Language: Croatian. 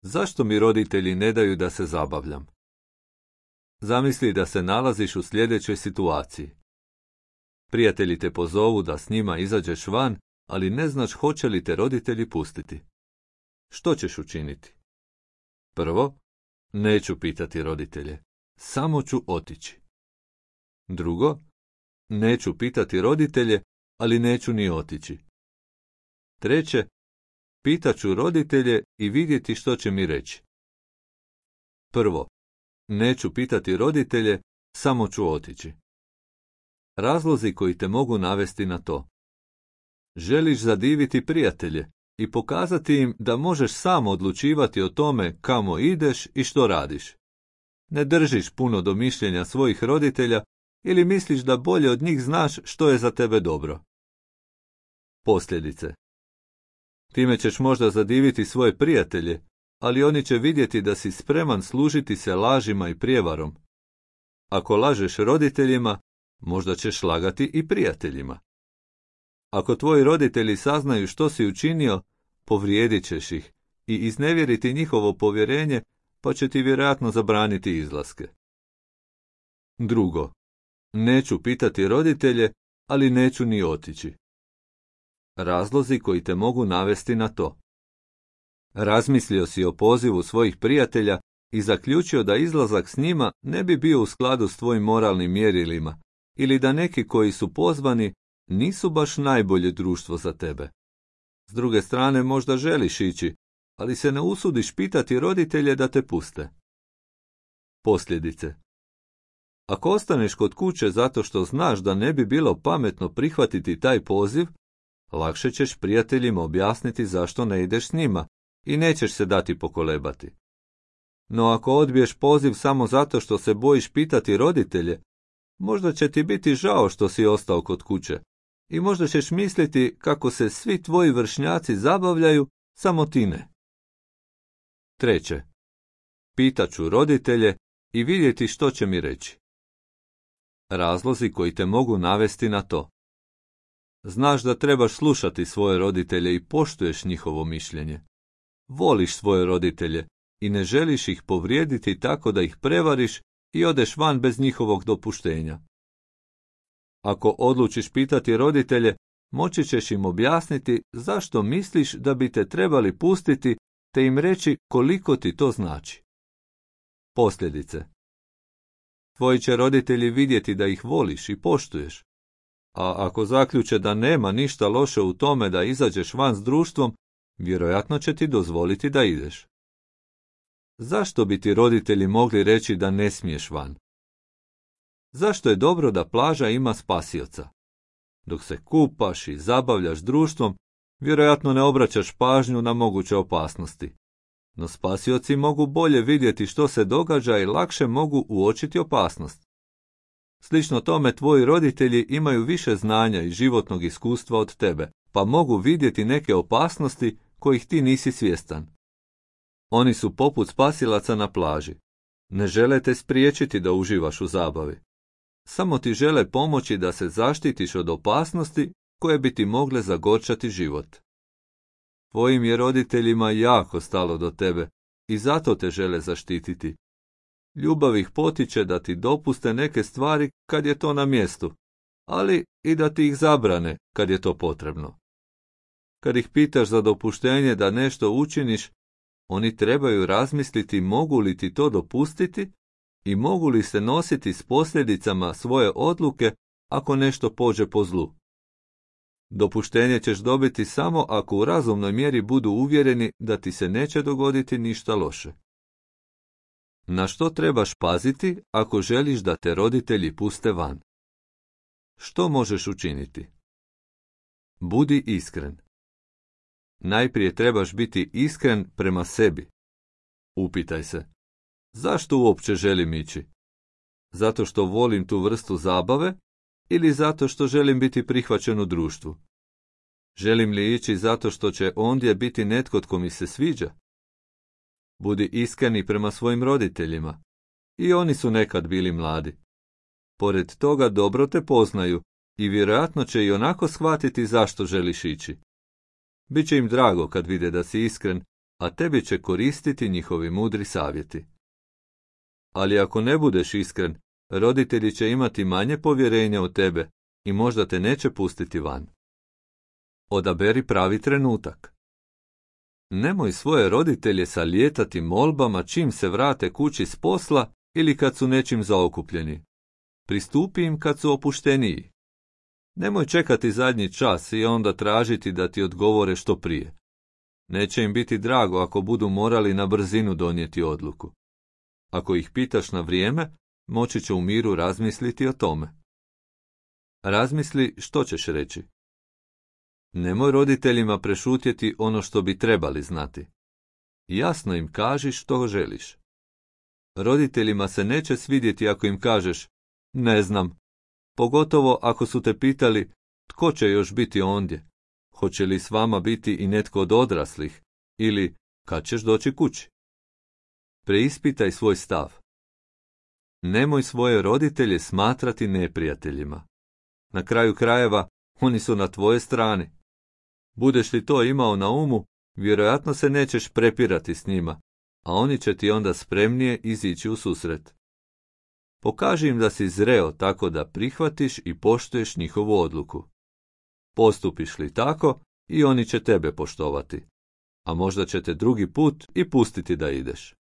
Zašto mi roditelji ne daju da se zabavljam? Zamisli da se nalaziš u sljedećoj situaciji. Prijatelji te pozovu da s njima izađeš van, ali ne znaš hoće li te roditelji pustiti. Što ćeš učiniti? Prvo, neću pitati roditelje, samo ću otići. Drugo, neću pitati roditelje, ali neću ni otići. Treće, pitaću roditelje i vidjeti što će mi reći. Prvo, neću pitati roditelje, samo ću otići. Razlozi koji te mogu navesti na to. Želiš zadiviti prijatelje i pokazati im da možeš sam odlučivati o tome kamo ideš i što radiš. Ne držiš puno do mišljenja svojih roditelja ili misliš da bolje od njih znaš što je za tebe dobro. Posljedice. Time ćeš možda zadiviti svoje prijatelje, ali oni će vidjeti da si spreman služiti se lažima i prijevarom. Ako lažeš roditeljima, možda ćeš lagati i prijateljima. Ako tvoji roditelji saznaju što si učinio, povrijedit ćeš ih i iznevjeriti njihovo povjerenje, pa će ti vjerojatno zabraniti izlaske. Drugo, neću pitati roditelje, ali neću ni otići. Razlozi koji te mogu navesti na to. Razmislio si o pozivu svojih prijatelja i zaključio da izlazak s njima ne bi bio u skladu s tvojim moralnim mjerilima, ili da neki koji su pozvani nisu baš najbolje društvo za tebe. S druge strane, možda želiš ići, ali se ne usudiš pitati roditelje da te puste. Posljedice. Ako ostaneš kod kuće zato što znaš da ne bi bilo pametno prihvatiti taj poziv, lakše ćeš prijateljima objasniti zašto ne ideš s njima i nećeš se dati pokolebati. No ako odbiješ poziv samo zato što se bojiš pitati roditelje, možda će ti biti žao što si ostao kod kuće i možda ćeš misliti kako se svi tvoji vršnjaci zabavljaju, samo ti ne. Treće, pitaću roditelje i vidjeti što će mi reći. Razlozi koji te mogu navesti na to. Znaš da trebaš slušati svoje roditelje i poštuješ njihovo mišljenje. Voliš svoje roditelje i ne želiš ih povrijediti tako da ih prevariš i odeš van bez njihovog dopuštenja. Ako odlučiš pitati roditelje, moći ćeš im objasniti zašto misliš da bi te trebali pustiti te im reći koliko ti to znači. Posljedice. Tvoji će roditelji vidjeti da ih voliš i poštuješ. A ako zaključe da nema ništa loše u tome da izađeš van s društvom, vjerojatno će ti dozvoliti da ideš. Zašto bi ti roditelji mogli reći da ne smiješ van? Zašto je dobro da plaža ima spasioca? Dok se kupaš i zabavljaš društvom, vjerojatno ne obraćaš pažnju na moguće opasnosti. No spasioci mogu bolje vidjeti što se događa i lakše mogu uočiti opasnost. Slično tome tvoji roditelji imaju više znanja i životnog iskustva od tebe, pa mogu vidjeti neke opasnosti kojih ti nisi svjestan. Oni su poput spasilaca na plaži. Ne žele te spriječiti da uživaš u zabavi. Samo ti žele pomoći da se zaštitiš od opasnosti koje bi ti mogle zagorčati život. Tvojim je roditeljima jako stalo do tebe i zato te žele zaštititi. Ljubav ih potiče da ti dopuste neke stvari kad je to na mjestu, ali i da ti ih zabrane kad je to potrebno. Kad ih pitaš za dopuštenje da nešto učiniš, oni trebaju razmisliti mogu li ti to dopustiti i mogu li se nositi s posljedicama svoje odluke ako nešto pođe po zlu. Dopuštenje ćeš dobiti samo ako u razumnoj mjeri budu uvjereni da ti se neće dogoditi ništa loše. Na što trebaš paziti ako želiš da te roditelji puste van? Što možeš učiniti? Budi iskren. Najprije trebaš biti iskren prema sebi. Upitaj se, zašto uopće želim ići? Zato što volim tu vrstu zabave ili zato što želim biti prihvaćen u društvu? Želim li ići zato što će ondje biti netko tko mi se sviđa? Budi iskreni prema svojim roditeljima. I oni su nekad bili mladi. Pored toga dobro te poznaju i vjerojatno će i onako shvatiti zašto želiš ići. Biće im drago kad vide da si iskren a tebi će koristiti njihovi mudri savjeti. Ali ako ne budeš iskren, roditelji će imati manje povjerenja u tebe i možda te neće pustiti van. Odaberi pravi trenutak. Nemoj svoje roditelje salijetati molbama čim se vrate kući s posla ili kad su nečim zaokupljeni. Pristupi im kad su opušteniji. Nemoj čekati zadnji čas i onda tražiti da ti odgovore što prije. Neće im biti drago ako budu morali na brzinu donijeti odluku. Ako ih pitaš na vrijeme, moći će u miru razmisliti o tome. Razmisli što ćeš reći. Nemoj roditeljima prešutjeti ono što bi trebali znati. Jasno im kaži što želiš. Roditeljima se neće svidjeti ako im kažeš ne znam, pogotovo ako su te pitali tko će još biti ondje, hoće li s vama biti i netko od odraslih ili kad ćeš doći kući. Preispitaj svoj stav. Nemoj svoje roditelje smatrati neprijateljima. Na kraju krajeva, oni su na tvojoj strani. Budeš li to imao na umu, vjerojatno se nećeš prepirati s njima, a oni će ti onda spremnije izići u susret. Pokaži im da si zreo tako da prihvatiš i poštuješ njihovu odluku. Postupiš li tako, i oni će tebe poštovati, a možda će te drugi put i pustiti da ideš.